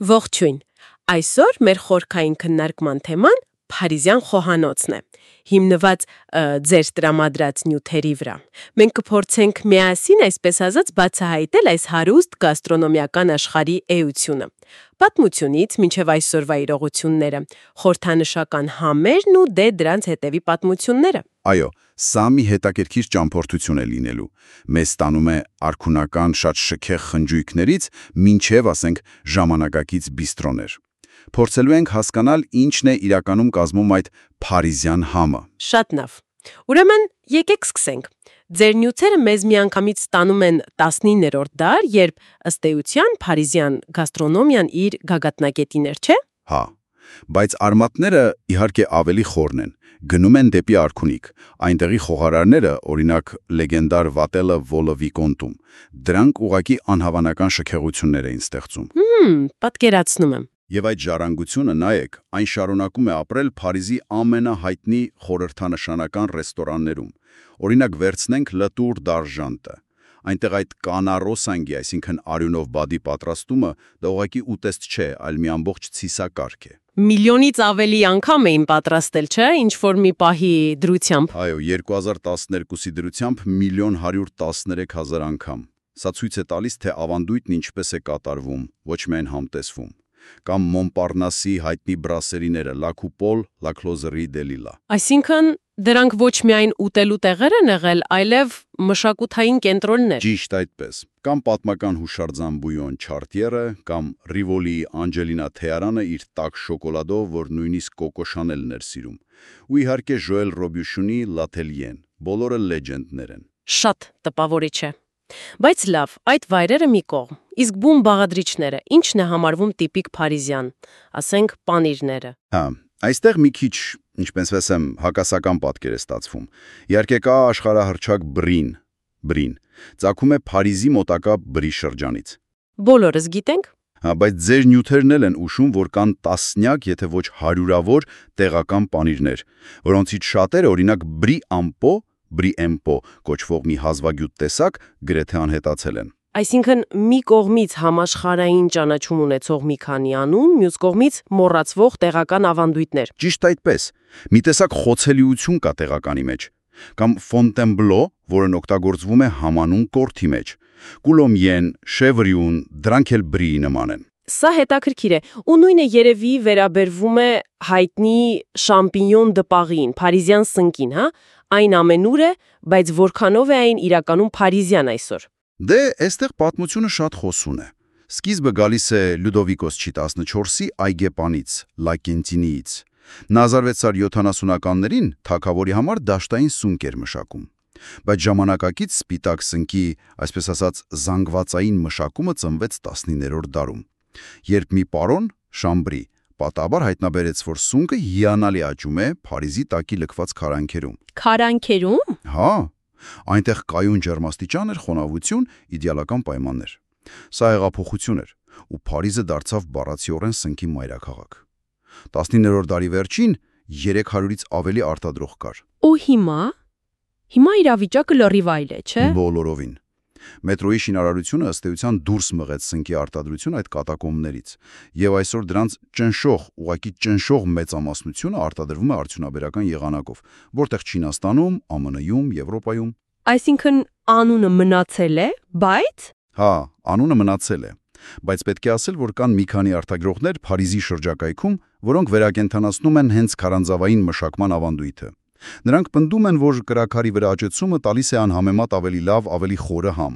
Ողջույն։ Այսօր մեր խորքային քննարկման թեման Փարիզյան խոհանոցն է, հիմնված ձեր տրամադրած նյութերի վրա։ Մենք կփորձենք միասին, այսպես ասած, բացահայտել այս հարուստ գաստրոնոմիական աշխարհի էությունը։ Պատմությունից մինչև այսօրվա իրողությունները, խորհրդանշական համերն ու դրանց հետևի պատմությունները։ Այո, սա մի հետաքրքիր ճամփորդություն է լինելու։ Մեզ տանում է արքունական շատ շքեղ խնջույքներից մինչև, ասենք, ժամանակակից բիստրոներ։ Փորձելու ենք հասկանալ ինչն է իրականում կազմում այդ փարիզյան համը։ Շատ լավ։ Ուրեմն, եկեք սկսենք։ Ձեր նյութերը մեզ միանգամից ստանում են 19-րդ դար, երբ ըստ էության փարիզյան գաստրոնոմիան իր գագաթնակետին էր, չէ՞։ Հա, բայց արմատները իհարկե ավելի խորն են, գնում են դեպի արքունիք։ Այնտեղի խոհարարները, օրինակ լեգենդար Վատելը Վոլը Վիկոնտում, դրանք ուղղակի անհավանական շքեղություններ էին ստեղծում։ Պատկերացնում եմ։ Եվ այդ ժառանգությունը, նայեք, այն շարունակում է ապրել Փարիզի ամենահայտնի խորհրդանշանական ռեստորաններում։ Օրինակ վերցնենք Le Tour d'Argent-ը։ Այնտեղ այդ կանարոսանգի, այսինքն արյունով բադի պատրաստումը դա ուղղակի ուտեստ չէ, այլ մի ամբողջ ցիսակարգ է։ Միլիոնից ավելի անգամ էին պատրաստել, չէ՞, ինչ-որ մի պահի դրությամբ։ Այո, 2012-ի դրությամբ 1.113.000 անգամ։ Սա ցույց է տալիս, թե ավանդույթն ինչպես է կատարվում, ոչ միայն համտեսվում։ Կամ Մոնպարնասի հայտնի բրասերիները La Coupole, La Closerie de Lille։ Այսինքն դրանք ոչ միայն ուտելու տեղեր են եղել, այլև մշակութային կենտրոններ։ Ճիշտ այդպես։ Կամ պատմական հուշարձան Բույոն Չարտիերը, կամ Ռիվոլի Անջելինա Թեարանը իր տաք շոկոլադով, որ նույնիսկ Կոկո Շանելն էր սիրում։ Ու իհարկե Ժոել Ռոբյուշունի Լաթելիեն։ Բոլորը լեջենդներ են։ Շատ տպավորիչ է։ Բայց լավ, այդ վայրերը մի կողմ։ Իսկ բուն բաղադրիչները, ի՞նչն է համարվում տիպիկ փարիզյան, ասենք պանիրները։ Հա, այստեղ մի քիչ, ինչպես ասեմ, հակասական պատկեր է ստացվում։ Իհարկե կա աշխարհահռչակ բրին։ Ծագում է Փարիզի մոտակա Բրի շրջանից։ Բոլորս գիտենք։ Հա, բայց ձեր նյութերն էլ են ուշում, որ կան տասնյակ, եթե ոչ հարյուրավոր տեղական պանիրներ, որոնցից շատերը, օրինակ Բրի Էմպո կոչվող մի հազվագյուտ տեսակ գրեթե անհետացել են։ Այսինքն մի կողմից համաշխարհային ճանաչում ունեցող մի քանի անուն, մյուս կողմից մոռացվող տեղական ավանդույթներ։ Ճիշտ այդպես։ Մի տեսակ խոցելիություն կա տեղականի մեջ։ Կամ Fontainebleau, որն օգտագործվում է համանուն կորթի մեջ։ Coulommiers, Chèvrion, դրանք էլ Բրիի նման են։ Սա հետաքրքիր է, ու նույնը երևի վերաբերվում է հայտնի Champignon de Paris-ին, փարիզյան սնկին, հա։ Այն ամենուր է, բայց որքանով է այն իրականում փարիզյան այսօր։ Դե, այստեղ պատմությունը շատ խոսուն է։ Սկիզբը գալիս է Լյուդովիկոս 14-ի այգեպանից, Լակենտինիից։ Նա 1670-ականներին թագավորի համար դաշտային սունկ էր մշակում։ Բայց ժամանակակից սպիտակ սնկի, այսպես ասած, զանգվածային մշակումը ծնվեց 19-րդ դարում, երբ մի պարոն, Շամբրի, պատահաբար հայտնաբերեց, որ սունկը հիանալի աճում է Փարիզի տակի լքված քարանքերում։ Քարանքերում։ Հա, այնտեղ կայուն ջերմաստիճան էր, խոնավություն, իդեալական պայմաններ։ Սա հեղափոխություն էր, ու Փարիզը դարձավ բառացիորեն սնկի մայրաքաղաք։ 19-րդ դարի վերջին 300-ից ավելի արտադրող կար։ Ու հիմա իրավիճակը լրիվ այլ է, չէ՞։ Բոլորովին։ Մետրոյի շինարարությունը ըստ էության դուրս մղեց սնկի արտադրությունը այդ կատակոմներից, եւ այսօր դրանց ուղղակի ճնշող մեծամասնությունը արտադրվում է արդյունաբերական եղանակով, որտեղ Չինաստանում, ԱՄՆ-ում, Եվրոպայում։ Այսինքն անունը մնացել է, բայց։ Հա, անունը մնացել է, բայց պետք է ասել, որ կան մի քանի արտադրողներ Փարիզի շրջակայքում, որոնք վերակենդանացնում են հենց քարանձավային մշակման ավանդույթը։ Նրանք պնդում են, որ կրաքարի վրա աճեցումը տալիս է անհամեմատ ավելի լավ, ավելի խորը համ։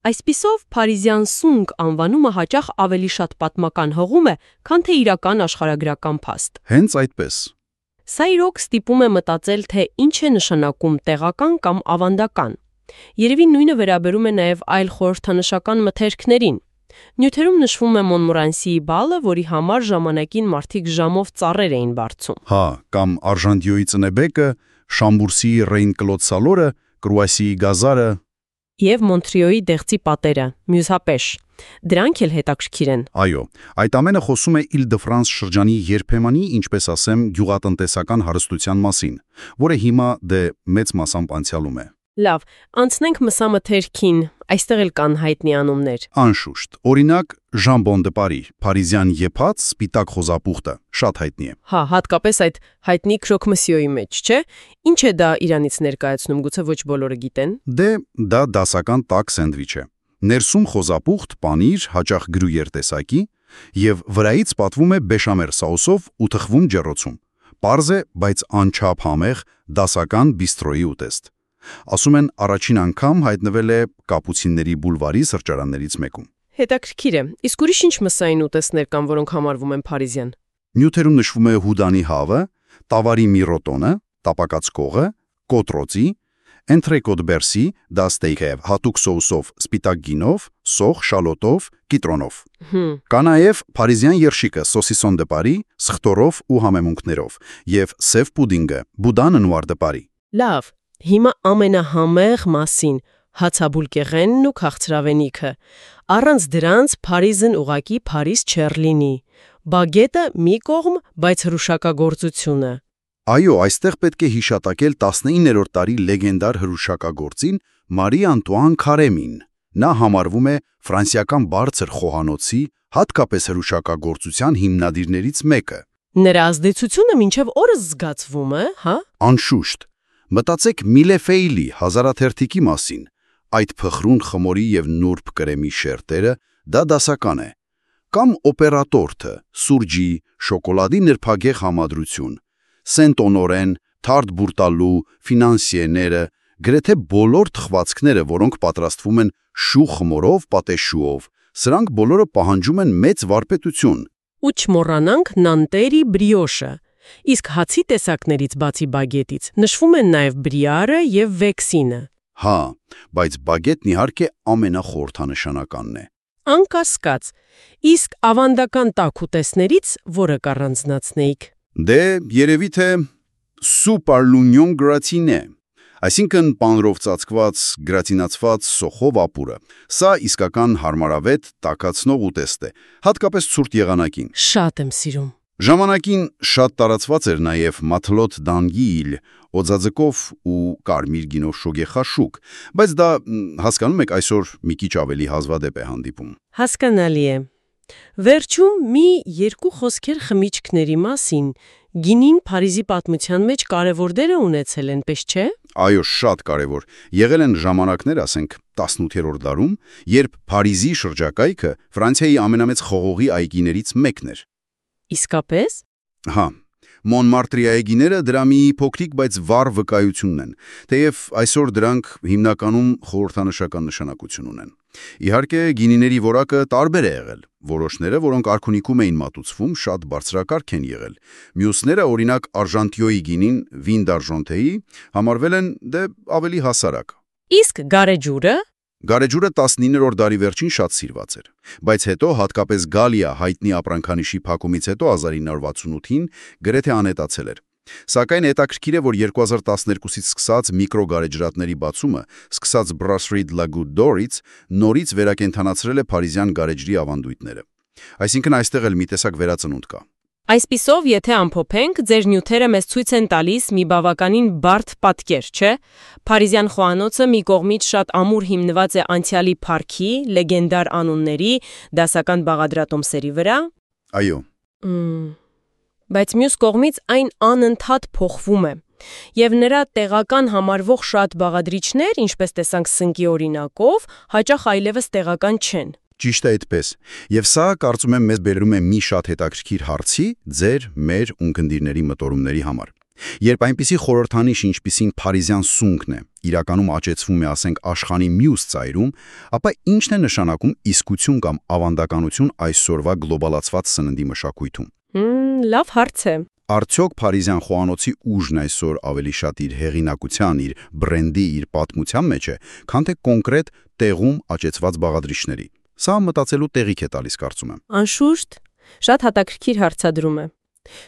Այսպիսով, փարիզյան սունկ անվանումը հաճախ ավելի շատ պատմական հղում է, քան թե իրական աշխարհագրական փաստ։ Հենց այդպես։ Սա իրոք ստիպում է մտածել, թե ինչ է նշանակում տեղական կամ ավանդական։ Երևի նույնը վերաբերում է նաև այլ խորհրդանշական մթերքներին։ Նյութերում նշվում է Մոնմորանսիի բալը, որի համար ժամանակին մարդիկ ժամով ծառեր էին բարձում։ Հա, կամ Արժանտիոյի ծնեբեկը, Շամբուրսիի Ռեյն-Կլոդ Սալորը, Կրուասիի գազարը եւ Մոնտրիոյի դեղցի պատերը, մյուսապեշ։ Դրանք էլ հետաքրքիր են։ Այո, այդ ամենը խոսում է Իլ-դը-Ֆրանս շրջանի երբեմնի, ինչպես ասեմ, գյուղատնտեսական հարստության մասին, որը հիմա դե մեծ մասամբ անցյալում է։ Լավ, անցնենք մսամթերքին, այստեղ էլ կան հայտնի անուններ։ Անշուշտ, օրինակ Jambon de Paris, Փարիզյան եփած սպիտակ խոզապուխտը, շատ հայտնի է։ Հա, հատկապես այդ հայտնի քրոկմսյոյի մեջ, չէ՞։ Ինչ է դա Իրանից ներկայացնում, գուցե ոչ բոլորը գիտեն։ Դե դա դասական տաք սենդվիչ է։ Ներսում խոզապուխտ, պանիր, հաճախ գրույեր տեսակի եւ վրայից պատվում է բեշամել սաուսով ու թխվում ջեռոցում։ Պարզ է, բայց անչափ համեղ դասական բիստրոյի ուտեստ։ Ասում են առաջին անգամ հայտնվել է Կապուցինների բուլվարի սրճարաններից մեկում։ Հետաքրքիր է։ Իսկ ուրիշ ինչ մսային ուտեստներ կան, որոնք համարվում են փարիզյան։ Նյութերում նշվում է հուդանի հավը, տավարի միրոտոնը, տապակած կողը, կոտրոցի, Entrecôte de Bercy, դա ստեյք է հատուկ սոուսով, սպիտակ գինով, սոխ, շալոտով, կիտրոնով։ Կա նաև փարիզյան երշիկը Saucisson de Paris, սխտորով ու համեմունքներով, եւ սև պուդինգը Boudin Noir de Paris։ Լավ, հիմա ամենահամեղ մասին՝ հացաբուլկեղենն ու քաղցրավենիքը։ Առանց դրանց Փարիզն ուղակի Փարիզ չէր լինի։ Բագետը մի կողմ, բայց հրուշակագործությունը։ Այո, այստեղ պետք է հիշատակել 19-րդ դարի լեգենդար հրուշակագործին Մարի Անտուան Քարեմին։ Նա համարվում է ֆրանսիական բարձր խոհանոցի, հատկապես հրուշակագործության հիմնադիրներից մեկը։ Նրա ազդեցությունը մինչև օրս զգացվում է, հա։ Անշուշտ։ Մտածեք Միլեֆեյլի հազարաթերթիկի մասին։ Այդ փխրուն խմորի եւ նուրբ կրեմի շերտերը դա դասական է։ Կամ օպերատորթը, սուրճի, շոկոլադի նրբագեղ համադրություն, Սենտ-Օնորեն, Թարդ Բուրտալու, ֆինանսիեները, գրեթե բոլոր թխվածքները, որոնք պատրաստվում են շուխ խմորով, պատեշուով, սրանք բոլորը պահանջում են մեծ վարպետություն։ Ու չմոռանանք նանտերի բրիոշը։ Իսկ հացի տեսակներից բացի բագետից նշվում են նաև բրիարը եւ վեքսինը։ Հա, բայց բագետն իհարկե ամենախորհրդանշանականն է։ Անկասկած։ Իսկ ավանդական տաք ուտեստներից որը կառանձնացնեիք։ Դե երևի թե Super L'Union Gratiné, այսինքն պանրով ծածկված, գրատինացված սոխով ապուրը։ Սա իսկական հարմարավետ տաքացնող ուտեստ է, հատկապես ցուրտ եղանակին։ Շատ եմ սիրում։ Ժամանակին շատ տարածված էր նաև մաթլոտ դանգիլ, օձաձկով ու կարմիր գինով շոգեխաշուկ, բայց դա հասկանում եք այսօր մի քիչ ավելի հազվադեպ է հանդիպում։ Հասկանալի է։ Վերջում մի երկու խոսքեր խմիչքների մասին։ Գինին Փարիզի պատմության մեջ կարևոր դեր է ունեցել, այնպես չէ։ Այո, շատ կարևոր։ Եղել են ժամանակներ, ասենք 18-րդ դարում, երբ Փարիզի շրջակայքը Ֆրանսիայի ամենամեծ խողովի այգիներից մեկն էր։ Իսկապես։ Հա, Մոնմարտրի այգիները դրա մի փոքրիկ, բայց վառ վկայությունն են, թեև այսօր դրանք հիմնականում խորհրդանշական նշանակություն ունեն։ Իհարկե, գինիների որակը տարբեր է եղել։ Որոշները, որոնք արքունիքում էին մատուցվում, շատ բարձրակարգ են եղել։ Մյուսները, օրինակ Արժանտիոյի գինին, Vin d'Argenteի, համարվել են ավելի հասարակ։ Իսկ գարեջուրը։ Գարեջուրը 19-րդ դարի վերջին շատ սիրված էր, բայց հետո հատկապես Գալիա հայտնի ապրանքանիշի փակումից հետո 1968-ին գրեթե անհետացել էր։ Սակայն հետաքրքիր է, որ 2012-ից սկսած միկրոգարեջրատների բացումը, սկսած Brasserie de la Goutte d'Orից, նորից վերակենդանացրել է փարիզյան գարեջրի ավանդույթները։ Այսինքն այստեղ էլ մի տեսակ վերածնունդ կա։ Այսպիսով, եթե ամփոփենք, ձեր նյութերը մեզ ցույց են տալիս մի բավականին բարդ պատկեր, չէ՞։ Փարիզյան խոհանոցը մի կողմից շատ ամուր հիմնված է անցյալի փառքի, լեգենդար անունների, դասական բաղադրատոմսերի վրա։ Այո։ Բայց մյուս կողմից այն անընդհատ փոխվում է։ Եվ նրա տեղական համարվող շատ բաղադրիչներ, ինչպես տեսանք սնկի օրինակով, հաճախ այլևս տեղական չեն։ Ճիշտ է այդպես։ Եվ սա, կարծում եմ, մեզ բերում է մի շատ հետաքրքիր հարցի ձեր, մեր ունկնդիրների մտորումների համար։ Երբ այնպիսի խորհրդանիշ, ինչպիսին փարիզյան սունկն է, իրականում աճեցվում է, ասենք, աշխանի մյուս ծայրում, ապա ի՞նչն է նշանակում իսկություն կամ ավանդականություն այսօրվա գլոբալացված սննդի մշակույթում։ Լավ հարց է։ Արդյոք փարիզյան խոհանոցի ուժն այսօր ավելի շատ իր հեղինակության, իր բրենդի, իր պատմության մեջ է, քան թե կոնկրետ տեղում աճեցված բաղադրիչների։ Սա մտածելու տեղիք է տալիս, կարծում եմ։ Անշուշտ, շատ հետաքրքիր հարցադրում է։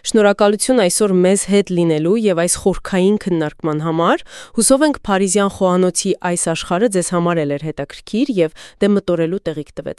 Շնորհակալություն այսօր մեզ հետ լինելու եւ այս խորքային քննարկման համար։ Հուսով ենք Փարիզյան խոհանոցի այս աշխարհը ձեզ համար էլ էր հետաքրքիր եւ դե մտորելու տեղիք տվեց։